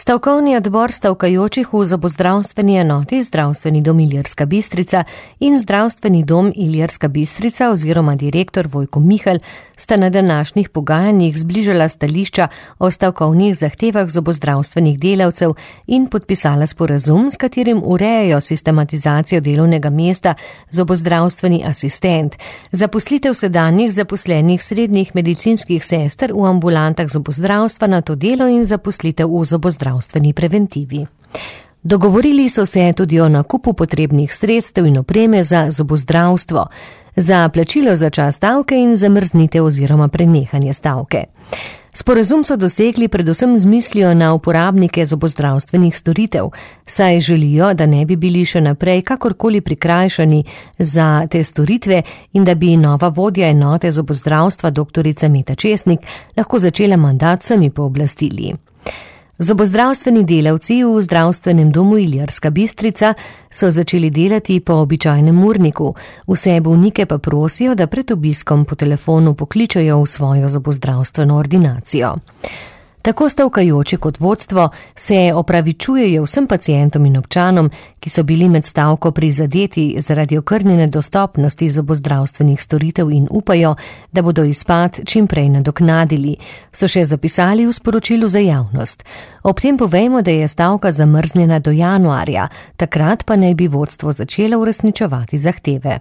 Stavkovni odbor stavkajočih v zobozdravstveni enoti Zdravstveni dom Ilirska Bistrica in Zdravstveni dom Ilirska Bistrica oziroma direktor Vojko Mihelj sta na današnjih pogajanjih zbližala stališča o stavkovnih zahtevah zobozdravstvenih delavcev in podpisala sporazum, s katerim urejajo sistematizacijo delovnega mesta zobozdravstveni asistent, zaposlitev sedanjih zaposlenih srednjih medicinskih sester v ambulantah zobozdravstva na to delo in zaposlitev v zobozdravstveni preventivi. Dogovorili so se tudi o nakupu potrebnih sredstev in opreme za zobozdravstvo, za plačilo za čas stavke in zamrznitev oziroma prenehanje stavke. Sporazum so dosegli predvsem z mislijo na uporabnike zobozdravstvenih storitev, saj želijo, da ne bi bili še naprej kakorkoli prikrajšani za te storitve in da bi nova vodja enote zobozdravstva dr. Meta Česnik lahko začela mandat sami pooblastili. Zobozdravstveni delavci v Zdravstvenem domu Ilirska Bistrica so začeli delati po običajnem urniku, vse bolnike pa prosijo, da pred obiskom po telefonu pokličejo v svojo zobozdravstveno ordinacijo. Tako stavkajoči kot vodstvo se opravičujejo vsem pacientom in občanom, ki so bili med stavko prizadeti zaradi okrnjene dostopnosti zobozdravstvenih storitev in upajo, da bodo izpad čim prej nadoknadili, so še zapisali v sporočilu za javnost. Ob tem povejmo, da je stavka zamrznjena do januarja, takrat pa naj bi vodstvo začelo uresničevati zahteve.